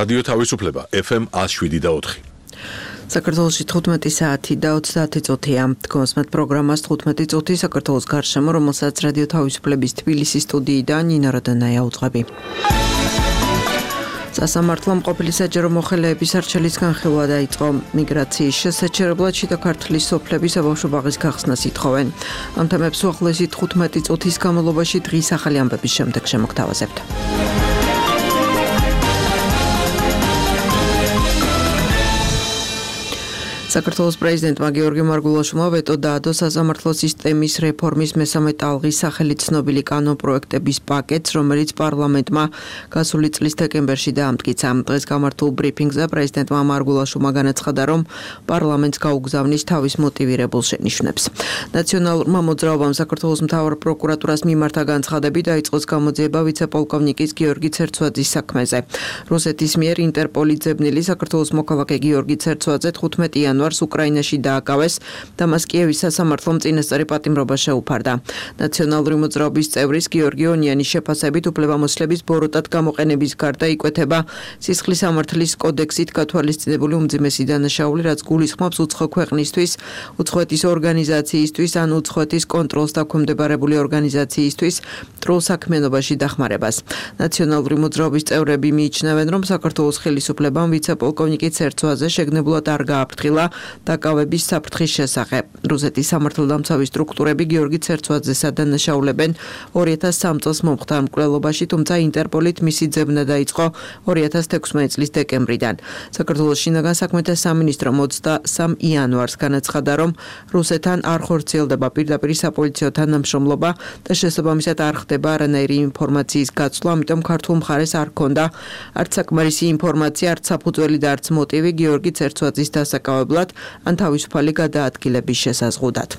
რადიო თავისუფლება FM 107.4. საქართველოში 15 საათი და 30 წუთია. თქვენს პროგრამას 15 წუთი საქართველოს გარშემო, რომელსაც რადიო თავისუფლების თბილისის სტუდიიდან ნინო როდანაია უძღვები. სასამართლომ ყოფილი საჯარო მოხელეების არჩევის განხილვა დაიწყო. მიგრაციის შესაჩერებლად შიდა ქართლის სოფლების საბავშვო ბაღის გახსნას ითხოვენ. ამ თემებს უახლოესი 15 წუთის განმავლობაში დღის ახალი ამბების შემდეგ შემოგთავაზებთ. საქართველოს პრეზიდენტმა გიორგი მარგულაშვილმა ვეტო დაადო სასამართლო სისტემის რეფორმის მესამე ტალღის სახელით ცნობილი კანონპროექტების პაკეტს, რომელიც პარლამენტმა გასული წლის დეკემბერში დაამტკიცა. დღეს გამართულ ბრიფინგზე პრეზიდენტმა მარგულაშვილმა განაცხადა, რომ პარლამენტს გაუგზავნის თავის მოტივირებულ შენიშვნებს. ნაციონალურმა მოძრაობამ საქართველოს მთავარ პროკურატურას მიმართა განცხადები დაიწყოს გამოძიება ვიცე-პოლკოვნიკის გიორგი ცერცვაძის საქმეზე. რუსეთის მიერ ინტერპოლის ძებნილი საქართველოს მოქალაქე გიორგი ცერცვაძე 15 იანვარს უკრაინაში დააკავეს და მას კიევის სასამართლომ წინასწარი პატიმრობა შეუფარდა. ნაციონალური მოძრაობის წევრის გიორგი ონიანის შეფასებით უფლებამოსილების ბოროტად გამოყენების გარდა იკვეთება სისხლის სამართლის კოდექსით გათვალისწინებული უმძიმესი დანაშაული, რაც გულისხმობს უცხო ქვეყნისთვის, უცხოეთის ორგანიზაციისთვის ან უცხოეთის კონტროლს დაქვემდებარებული ორგანიზაციისთვის მტრულ საქმიანობაში დახმარებას. ნაციონალური მოძრაობის წევრები მიიჩნევენ, რომ საქართველოს ხელისუფლებამ ვიცე-პოლკოვნიკი ცერცვაძე შეგნებულად არ გააფრთხილა დაკავების საფრთხის შესახებ. რუსეთის სამართალდამცავი სტრუქტურები გიორგი ცერცვაძეს ადანაშაულებენ 2003 წელს მომხდარ მკვლელობაში, თუმცა ინტერპოლით მისი ძებნა დაიწყო 2016 წლის დეკემბრიდან. საქართველოს შინაგან საქმეთა სამინისტრო 23 იანვარს განაცხადა, რომ რუსეთთან არ ხორციელდება პირდაპირ საპოლიციო თანამშრომლობა და შესაბამისად არ ხდება არანაირი ინფორმაციის გაცვლა, ამიტომ ქართულ მხარეს არ ჰქონდა არც საკმარისი ინფორმაცია, არც საფუძველი და არც მოტივი გიორგი ცერცვაძის დასაკავებლად ან თავისუფალი გადაადგილების შესაზღუდად.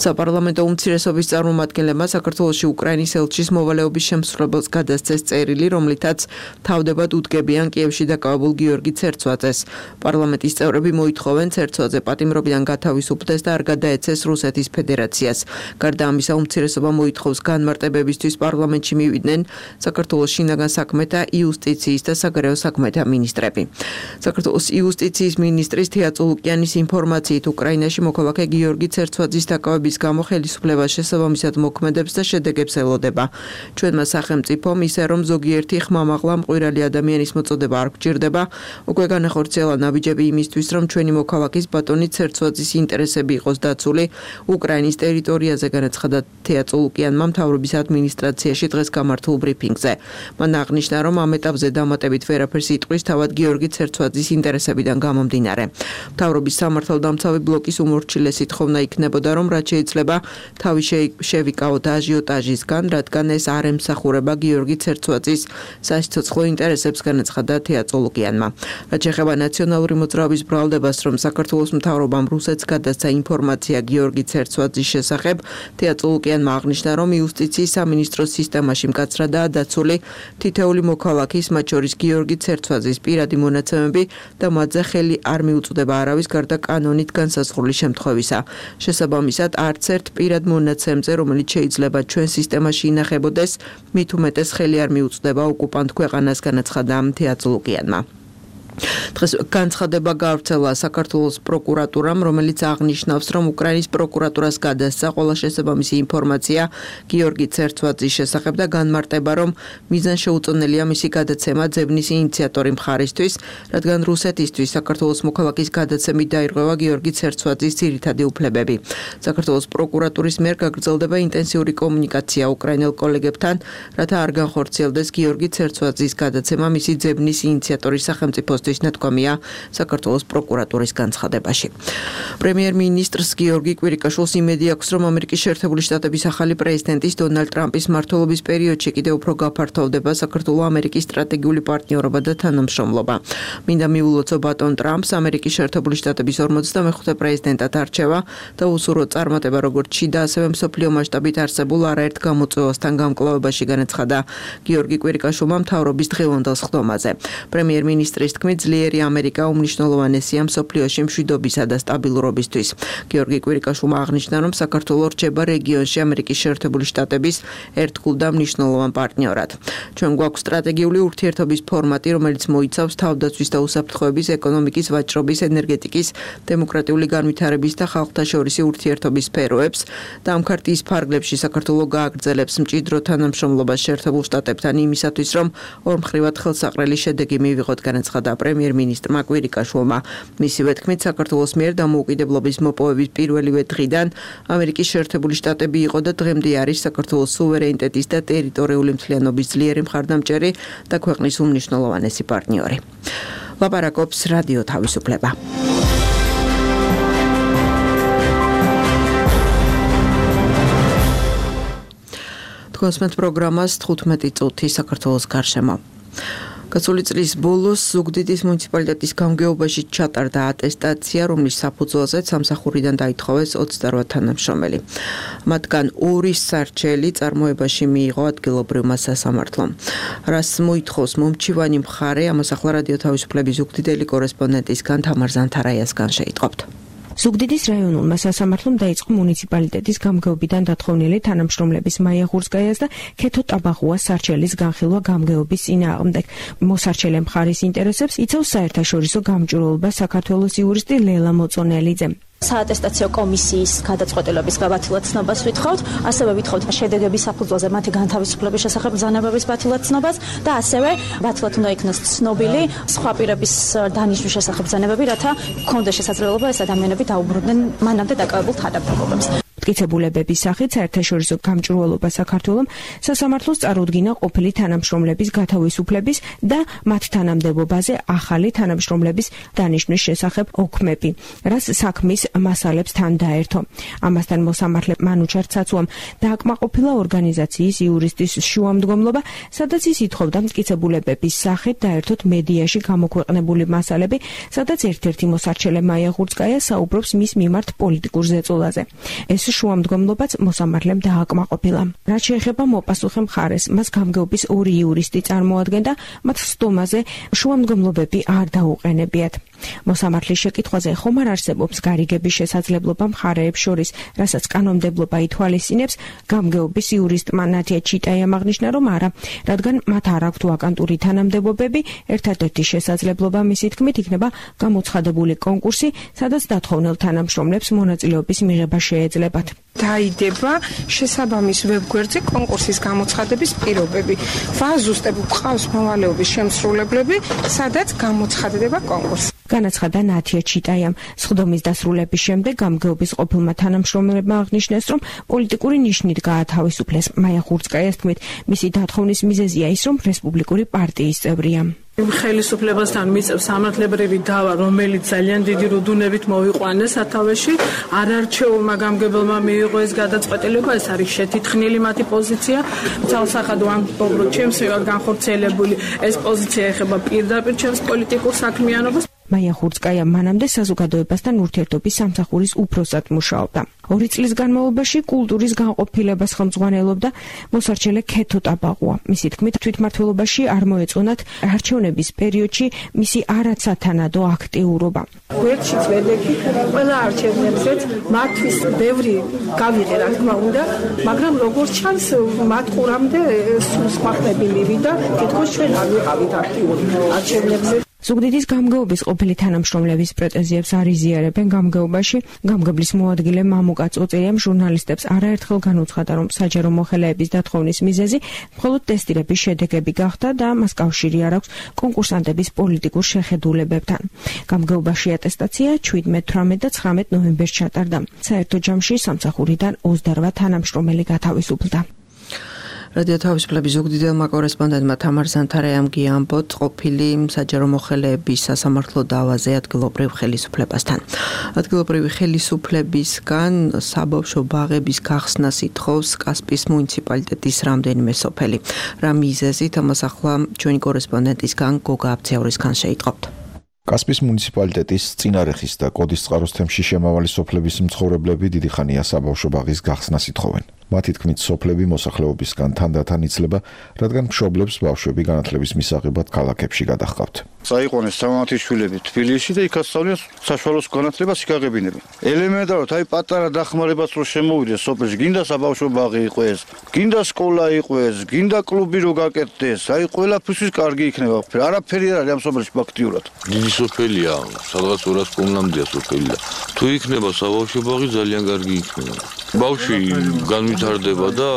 საპარლამენტო უმცირესობის წარმომადგენლებმა საქართველოში უკრაინის ელჩის მოვალეობის შემსრულებელს გადასცეს წერილი, რომლითაც თავდებად უდგებიან კიევში დაკავებულ გიორგი ცერცვაძეს. პარლამენტის წევრები მოითხოვენ ცერცვაძე პატიმრობიდან გათავისუფლდეს და არ გადაეცეს რუსეთის ფედერაციას. გარდა ამისა, უმცირესობა მოითხოვს განმარტებებისთვის პარლამენტში მივიდნენ საქართველოს შინაგან საქმეთა, იუსტიციის და საგარეო საქმეთა მინისტრები. საქართველოს იუსტიციის მინისტრის თეა წულუკიანის ინფორმაციით უკრაინაში მოქალაქე გიორგი ცერცვაძის დაკავების გამო ხელისუფლება შესაბამისად მოქმედებს და შედეგებს ელოდება. ჩვენმა სახელმწიფომ ისე რომ ზოგიერთი ხმამაღლა მყვირალი ადამიანის მოწოდება არ გვჭირდება, უკვე განახორციელა ნაბიჯები იმისთვის, რომ ჩვენი მოქალაქის ბატონი ცერცვაძის ინტერესები იყოს დაცული უკრაინის ტერიტორიაზე, განაცხადა თეა წულუკიანმა მთავრობის ადმინისტრაციაში დღეს გამართულ ბრიფინგზე. მან აღნიშნა, რომ ამ ეტაპზე დამატებით ვერაფერს იტყვის თავად გიორგი ცერცვაძის ინტერესებიდან გამომდინარე. მთავრობის სამართალდამცავი ბლოკის უმორჩილესი თხოვნა იქნებოდა, რომ რაც შეიძლება თავი შევიკავოთ აჟიოტაჟისგან, რადგან ეს არ ემსახურება გიორგი ცერცვაძის სასიცოცხლო ინტერესებს, განაცხადა თეა წულუკიანმა. რაც შეეხება ნაციონალური მოძრაობის ბრალდებას, რომ საქართველოს მთავრობამ რუსეთს გადასცა ინფორმაცია გიორგი ცერცვაძის შესახებ, თეა წულუკიანმა აღნიშნა, რომ იუსტიციის სამინისტროს სისტემაში მკაცრადაა დაცული თითეული მოქალაქის, მათ შორის გიორგი ცერცვაძის პირადი მონაცემები და მათზე ხელი არ მიუწვდება არავის გარდა კანონით განსაზღვრული შემთხვევისა. შესაბამისად, არც ერთ პირად მონაცემზე, რომელიც შეიძლება ჩვენ სისტემაში ინახებოდეს, მით უმეტეს ხელი არ მიუწვდება ოკუპანტ ქვეყანას, განაცხადა თეა წულუკიანმა. დღეს განცხადება გავრცელა საქართველოს პროკურატურამ, რომელიც აღნიშნავს, რომ უკრაინის პროკურატურას გადასცა ყველა შესაბამისი ინფორმაცია გიორგი ცერცვაძის შესახებ და განმარტება, რომ მიზანშეუწონელია მისი გადაცემა ძებნის ინიციატორი მხარისთვის, რადგან რუსეთისთვის საქართველოს მოქალაქის გადაცემით დაირღვევა გიორგი ცერცვაძის ძირითადი უფლებები. საქართველოს პროკურატურის მიერ გაგრძელდება ინტენსიური კომუნიკაცია უკრაინელ კოლეგებთან, რათა არ განხორციელდეს გიორგი ცერცვაძის გადაცემა მისი ძებნის ინიციატორის სახელმწიფოს ნათქვამია საქართველოს პროკურატურის განცხადებაში. პრემიერ-მინისტრს გიორგი კვირიკაშვილს იმედი აქვს, რომ ამერიკის შეერთებული შტატების ახალი პრეზიდენტის დონალდ ტრამპის მმართველობის პერიოდში კიდევ უფრო გაფართოვდება საქართველო-ამერიკის სტრატეგიული პარტნიორობა და თანამშრომლობა. მინდა მიულოცო ბატონ ტრამპს ამერიკის შეერთებული შტატების 45-მე პრეზიდენტად არჩევა და უსურვო წარმატება როგორც შიდა, ასევე მსოფლიო მასშტაბით არსებულ არაერთ გამოწვევასთან გამკლავებაში, განაცხადა გიორგი კვირიკაშვილმა მთავრობის დღევანდელ სხდომაზე. პრემიერ-მინისტრის თქმით, თქმით, ძლიერი ამერიკა უმნიშვნელოვანესია მსოფლიოში მშვიდობისა და სტაბილურობისთვის. გიორგი კვირიკაშვილმა აღნიშნა, რომ საქართველო რჩება რეგიონში ამერიკის შეერთებული შტატების ერთგულ და მნიშვნელოვან პარტნიორად. ჩვენ გვაქვს სტრატეგიული ურთიერთობის ფორმატი, რომელიც მოიცავს თავდაცვის და უსაფრთხოების, ეკონომიკის, ვაჭრობის, ენერგეტიკის, დემოკრატიული განვითარების და ხალხთა შორისი ურთიერთობის სფეროებს და ამ ქარტიის ფარგლებში საქართველო გააგრძელებს მჭიდრო თანამშრომლობას შეერთებულ შტატებთან იმისათვის, რომ ორმხრივად ხელსაყრელი შედეგი მივიღოთ, განაცხადა პრემიერ-მინისტრმა კვირიკაშვილმა. მისივე თქმით, საქართველოს მიერ დამოუკიდებლობის მოპოვების პირველივე დღიდან ამერიკის შეერთებული შტატები იყო და დღემდე არის საქართველოს სუვერენიტეტის და ტერიტორიული მთლიანობის ძლიერი მხარდამჭერი და ქვეყნის უმნიშვნელოვანესი პარტნიორი. ლაპარაკობს რადიო თავისუფლება. თქვენს პროგრამას 15 წუთი საქართველოს გარშემო. გასული წლის ბოლოს ზუგდიდის მუნიციპალიტეტის გამგეობაში ჩატარდა ატესტაცია, რომლის საფუძველზეც სამსახურიდან დაითხოვეს 28 თანამშრომელი. მათგან 2 სარჩელი წარმოებაში მიიღო ადგილობრივმა სასამართლომ. რას მოითხოვს მომჩივანი მხარე, ამას ახლა რადიო თავისუფლების ზუგდიდელი კორესპონდენტისგან თამარ ზანთარაიასგან შეიტყობთ. ზუგდიდის რაიონულმა სასამართლომ დაიწყო მუნიციპალიტეტის გამგეობიდან დათხოვნილი თანამშრომლების მაია ღურსკაიას და ქეთო ტაბაღუას სარჩელის განხილვა გამგეობის წინააღმდეგ. მოსარჩელე მხარის ინტერესებს იცავს საერთაშორისო გამჭვირვალობა საქართველოს იურისტი ლელა მოწონელიძე. საატესტაციო კომისიის გადაწყვეტილების გაბათილად ცნობას ვითხოვთ, ასევე ვითხოვთ შედეგების საფუძველზე მათი განთავისუფლების შესახებ ბრძანებების ბათილად ცნობას და ასევე ბათილად უნდა იქნას ცნობილი სხვა პირების დანიშვნის შესახებ ბრძანებები, რათა გქონდეს შესაძლებლობა ეს ადამიანები დაუბრუნდნენ მანამდე დაკავებულ თანამდებობებს. მტკიცებულებების სახით საერთაშორისო გამჭვირვალობა საქართველოს სასამართლოს წარუდგინა ყოფილი თანამშრომლების გათავისუფლების და მათ თანამდებობაზე ახალი თანამშრომლების დანიშვნის შესახებ ოქმები, რაც საქმის მასალებს თან დაერთო. ამასთან მოსამართლე მანუჩარ ცაცუამ დააკმაყოფილა ორგანიზაციის იურისტის შუამდგომლობა, სადაც ის ითხოვდა მტკიცებულებების სახით დაერთოთ მედიაში გამოქვეყნებული მასალები, სადაც ერთ-ერთი მოსარჩელე მაია ღურსკაია საუბრობს მის მიმართ პოლიტიკურ ზეწოლაზე. ეს შუამდგომლობაც მოსამართლემ დააკმაყოფილა. რაც შეეხება მოპასუხე მხარეს, მას გამგეობის 2 იურისტი წარმოადგენდა, მათ სტომაზე შუამდგომლობები არ დაუყენებიათ. მოსამართლის შეკითხვაზე ხომ არ არსებობს გარიგების შესაძლებლობა მხარეებს შორის, რასაც კანონმდებლობა ითვალისწინებს, გამგეობის იურისტმა ნათია ჩიტაიამ აღნიშნა, რომ არა, რადგან მათ არ აქვთ ვაკანტური თანამდებობები, ერთადერთი შესაძლებლობა მისი თქმით იქნება გამოცხადებული კონკურსი, სადაც დათხოვნილ თანამშრომლებს მონაწილეობის მიღება შეეძლებათ. დაიდება შესაბამის ვებგვერდზე კონკურსის გამოცხადების პირობები. ვაზუსტებ ყავს მოვალეობის შემსრულებლები, სადაც გამოცხადდება კონკურსი. განაცხადა ნათია ჩიტაიამ. სხდომის დასრულების შემდეგ გამგეობის ყოფილმა თანამშრომლებმა აღნიშნეს, რომ პოლიტიკური ნიშნით გაათავისუფლეს. მაია ღურსკაიას თქმით, მისი დათხოვნის მიზეზია ის, რომ რესპუბლიკური პარტიის წევრია. ხელისუფლებასთან მიწევს სამართლებრივი დავა, რომელიც ძალიან დიდი რუდუნებით მოვიყვანეს სათავეში. არარჩეულმა გამგებელმა მიიღო ეს გადაწყვეტილება, ეს არის შეთითხნილი მათი პოზიცია. ძალსახადო ამბობ, ჩემს განხორციელებული ეს პოზიცია ეხება პირდაპირ ჩემს პოლიტიკურ საქმიანობას. მაია ღურსკაია მანამდე საზოგადოებასთან ურთიერთობის სამსახურის უფროსად მუშაობდა. 2 წლის განმავლობაში კულტურის განყოფილებას ხელმძღვანელობდა მოსარჩელე ქეთო ტაბაღუა. მისი თქმით, თვითმმართველობაში არ მოეწონათ არჩევნების პერიოდში მისი არაცათანადო აქტიურობა. გვერდშიც ვედექით ყველა არჩევნებზეც მათთვის ბევრი გავიღე, რა თქმა უნდა, მაგრამ როგორც ჩანს, მათ ყურამდე სულ სხვა ხმები მივიდა, თითქოს ჩვენ არ ვიყავით აქტიური არჩევნებზე. ზუგდიდის გამგეობის ყოფილი თანამშრომლების პრეტენზიებს არ იზიარებენ გამგეობაში. გამგებლის მოადგილე მამუკა წოწერიამ ჟურნალისტებს არაერთხელ განუცხადა, რომ საჯარო მოხელეების დათხოვნის მიზეზი მხოლოდ ტესტირების შედეგები გახდა და მას კავშირი არ აქვს კონკურსანტების პოლიტიკურ შეხედულებებთან. გამგეობაში ატესტაცია 17, 18 და 19 ნოემბერს ჩატარდა. საერთო ჯამში სამსახურიდან 28 თანამშრომელი გათავისუფლდა. რადიო თავისუფლების ზუგდიდელმა კორესპონდენტმა თამარ ზანთარაიამ გიამბოთ ყოფილი საჯარო მოხელეების სასამართლო დავაზე ადგილობრივ ხელისუფლებასთან. ადგილობრივი ხელისუფლებისგან საბავშვო ბაღების გახსნას ითხოვს კასპიის მუნიციპალიტეტის რამდენიმე სოფელი. რა მიზეზით, ამას ახლა ჩვენი კორესპონდენტისგან გოგა აბცევრისგან შეიტყობთ. კასპიის მუნიციპალიტეტის წინარეხის და კოდის წყაროს თემში შემავალი სოფლების მცხოვრებლები დიდი ხანია საბავშვო ბაღის გახსნას ითხოვენ. მათი თქმით, სოფლები მოსახლეობისგან თანდათან იცლება, რადგან მშობლებს ბავშვები განათლების მისაღებად ქალაქებში გადაჰყავთ. Საიყვანეს სამათი შვილები თბილისში და იქ ასწავლიან საშუალო განათლებას იკაღებინებენ. ელემენტარულად აი პატარა დახმარებას რო შემოვიდეს სოფელში, გინდა საბავშვო ბაღი იყოს, გინდა სკოლა იყოს, გინდა კლუბი რო გაკეთდეს, აი ყველაფერთვის კარგი იქნება. არაფერი არ არის ამ სოფელში ფაქტიურად. დიდი სოფელია, სადღაც 200 კმ-მდეა სოფელი. თუ იქნება საბავშვო ბაღი, ძალიან კარგი იქნება. ბავშვი განვითარდება და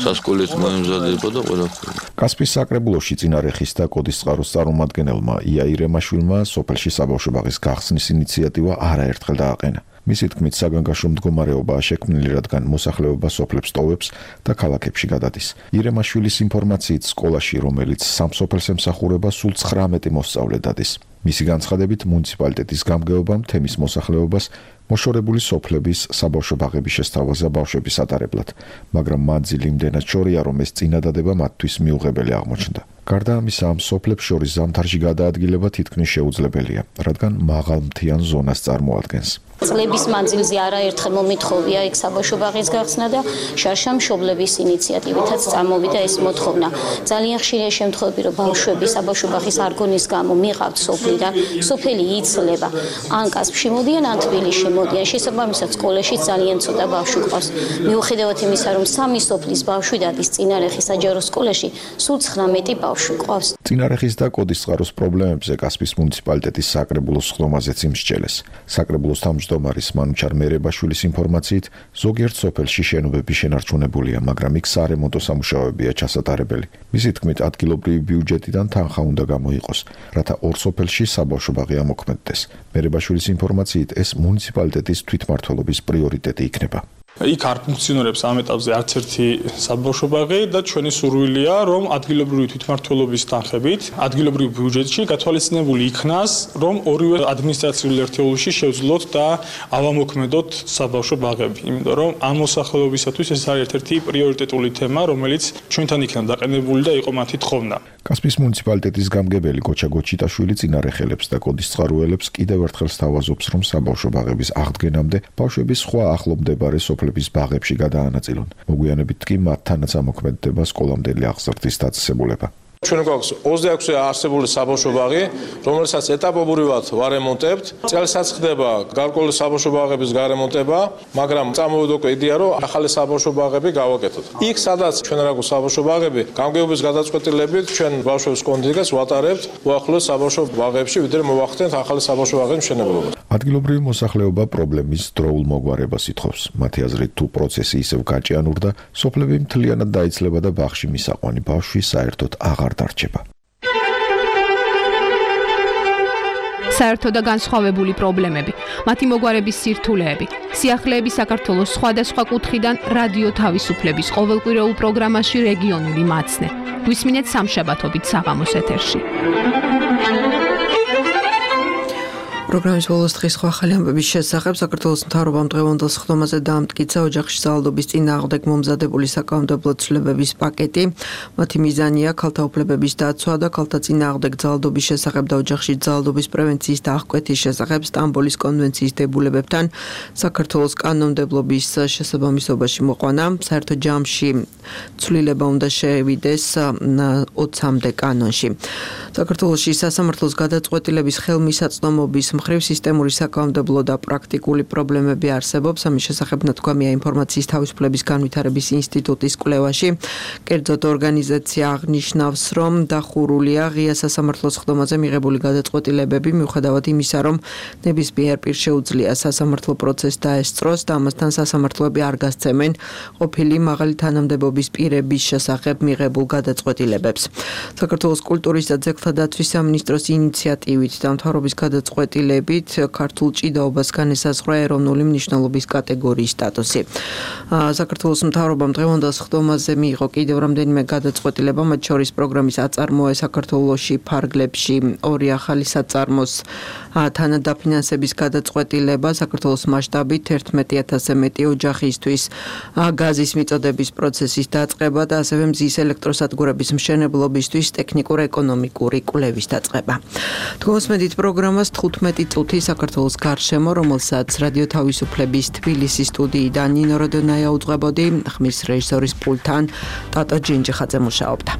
სასკოლეც მოემზადება და ყველაფერი. კასპიის საკრებულოში წინარეხის და კოდისწყაროს წარმომადგენელმა იაირ ემაშვილმა სოფელში საბავშვო ბაღის გახსნის ინიციატივა არაერთხელ დააყენა. მისი თქმით, საგანგაშო მდგომარეობაა შექმნილი, რადგან მოსახლეობა სოფლებს ტოვებს და ქალაქებში გადადის. ირემაშვილის ინფორმაციით, სკოლაში, რომელიც სამ სოფელს ემსახურება, სულ 19 მოსწავლე დადის. მისი განცხადებით, მუნიციპალიტეტის გამგეობამ თემის მოსახლეობას მოშორებული სოფლების საბავშვო ბაღების შესთავაზა ბავშვების ატარებლად, მაგრამ მანძილი იმდენად შორია, რომ ეს წინადადება მათთვის მიუღებელი აღმოჩნდა. გარდა ამისა, ამ სოფლებს შორის ზამთარში გადაადგილება თითქმის შეუძლებელია, რადგან მაღალმთიან ზონას წარმოადგენს. წლების მანძილზე არაერთხელ მომითხოვია იქ საბავშვო ბაღის გახსნა და შარშა მშობლების ინიციატივითაც წარმოვიდა ეს მოთხოვნა. ძალიან ხშირია შემთხვევები, რომ ბავშვები საბავშვო ბაღის არგონის გამო მიყავთ სოფლიდან, სოფელი იცლება. ან კასპში მოდიან, ან თბილისში მოდიან. შესაბამისად, სკოლაში ძალიან ცოტა ბავშვი ყავს. მიუხედავად იმისა, რომ სამი სოფლის ბავშვი დადის წინარეხის საჯარო სკოლაში, სულ 19 ბავშვი ყავს. წინარეხის და კოდისწყაროს პრობლემებზე კასპიის მუნიციპალიტეტის საკრებულოს ხდომაზეც იმსჯელეს. საკრებულოს თავმჯდომარის მანუჩარ მერებაშვილის ინფორმაციით, ზოგიერთ სოფელში შენობები შენარჩუნებულია, მაგრამ იქ სარემონტო სამუშაოებია ჩასატარებელი. მისი თქმით, ადგილობრივი ბიუჯეტიდან თანხა უნდა გამოიყოს, რათა ორ სოფელში საბავშვო ბაღი ამოქმედდეს. მერებაშვილის ინფორმაციით, ეს მუნიციპალიტეტის თვითმმართველობის პრიორიტეტი იქნება. იქ არ ფუნქციონირებს ამ ეტაპზე არც ერთი საბავშვო ბაღი და ჩვენი სურვილია, რომ ადგილობრივი თვითმმართველობის თანხებით, ადგილობრივ ბიუჯეტში გათვალისწინებული იქნას, რომ ორივე ადმინისტრაციულ ერთეულში შევძლოთ და ავამოქმედოთ საბავშვო ბაღები. იმიტომ რომ ამ მოსახლეობისათვის ეს არის ერთ-ერთი პრიორიტეტული თემა, რომელიც ჩვენთან იქნა დაყენებული და იყო მათი თხოვნა. კასპიის მუნიციპალიტეტის გამგებელი გოჩა გოჩიტაშვილი წინარეხელებს და კოდისწყაროელებს კიდევ ერთხელ სთავაზობს, რომ საბავშვო ბაღების აღდგენამდე ბავშვები სხვა ახლომდებარე სოფლების ბაღებში გადაანაწილონ. მოგვიანებით კი მათთანაც ამოქმედდება სკოლამდელი აღზრდის დაწესებულება. ჩვენ გვაქვს 26 არსებული საბავშვო ბაღი, რომელსაც ეტაპობრივად ვარემონტებთ. წელსაც ხდება გარკვეული საბავშვო ბაღების გარემონტება, მაგრამ წამოვიდა უკვე იდეა, რომ ახალი საბავშვო ბაღები გავაკეთოთ. იქ, სადაც ჩვენ რა გვაქვს საბავშვო ბაღები, გამგეობის გადაწყვეტილებით ჩვენ ბავშვებს კონდიციას ვატარებთ უახლოეს საბავშვო ბაღებში, ვიდრე მოვახდენთ ახალი საბავშვო ბაღების მშენებლობა. ადგილობრივი მოსახლეობა პრობლემის დროულ მოგვარებას ითხოვს. მათი აზრით, თუ პროცესი ისევ გაჭიანურდა, სოფლები მთლიანად დაიცლება და ბაღში მისაყვანი ბავშვი საერთოდ აღარ დარჩება. საერთო და განსხვავებული პრობლემები, მათი მოგვარების სირთულეები, სიახლეები საქართველოს სხვადასხვა კუთხიდან რადიო თავისუფლების ყოველკვირეულ პროგრამაში რეგიონული მაცნე. გვისმინეთ სამშაბათობით საღამოს ეთერში. პროგრამის ბოლოს დღის სხვა ახალი ამბების შესახებ საქართველოს მთავრობამ დღევანდელ სხდომაზე დაამტკიცა ოჯახში ძალადობის წინააღმდეგ მომზადებული საკანონმდებლო ცვლილებების პაკეტი. მათი მიზანია ქალთა უფლებების დაცვა და ქალთა წინააღმდეგ ძალადობის შესახებ და ოჯახში ძალადობის პრევენციის და აღკვეთის შესახებ სტამბოლის კონვენციის დებულებებთან საქართველოს კანონმდებლობის შესაბამისობაში მოყვანა. საერთო ჯამში ცვლილება უნდა შეევიდეს 20-მდე კანონში. საქართველოში სასამართლოს გადაწყვეტილების ხელმისაწვდომობის მხრივ სისტემური საკანონმდებლო და პრაქტიკული პრობლემები არსებობს. ამის შესახებ ნათქვამია ინფორმაციის თავისუფლების განვითარების ინსტიტუტის კვლევაში. კერძოდ ორგანიზაცია აღნიშნავს, რომ დახურულია ღია სასამართლოს სხდომაზე მიღებული გადაწყვეტილებები, მიუხედავად იმისა, რომ ნებისმიერ პირს შეუძლია სასამართლო პროცესს დაესწროს და ამასთან სასამართლოები არ გასცემენ ყოფილი მაღალი თანამდებობის პირების შესახებ მიღებულ გადაწყვეტილებებს. საქართველოს კულტურის და ძეგლთა დაცვის სამინისტროს ინიციატივით და მთავრობის გადაწყვეტილებით ქართულ ჭიდაობას განესაზღვრა ეროვნული მნიშვნელობის კატეგორიის სტატუსი. საქართველოს მთავრობამ დღევანდელ სხდომაზე მიიღო კიდევ რამდენიმე გადაწყვეტილება, მათ შორის პროგრამის აწარმოა საქართველოში ფარგლებში 2 ახალი საწარმოს თანადაფინანსების გადაწყვეტილება, საქართველოს მასშტაბით 11,000-ზე მეტი ოჯახისთვის გაზის მიწოდების პროცესის დაწყება და ასევე მზის ელექტროსადგურების მშენებლობისთვის ტექნიკურ-ეკონომიკური კვლევის დაწყება. თქვენს მედით პროგრამას 15 მეტი წუთი საქართველოს გარშემო, რომელსაც რადიო თავისუფლების თბილისის სტუდიიდან ნინო როდონაია უძღვებოდი, ხმის რეჟისორის პულტთან ტატო ჯინჯიხაძე მუშაობდა.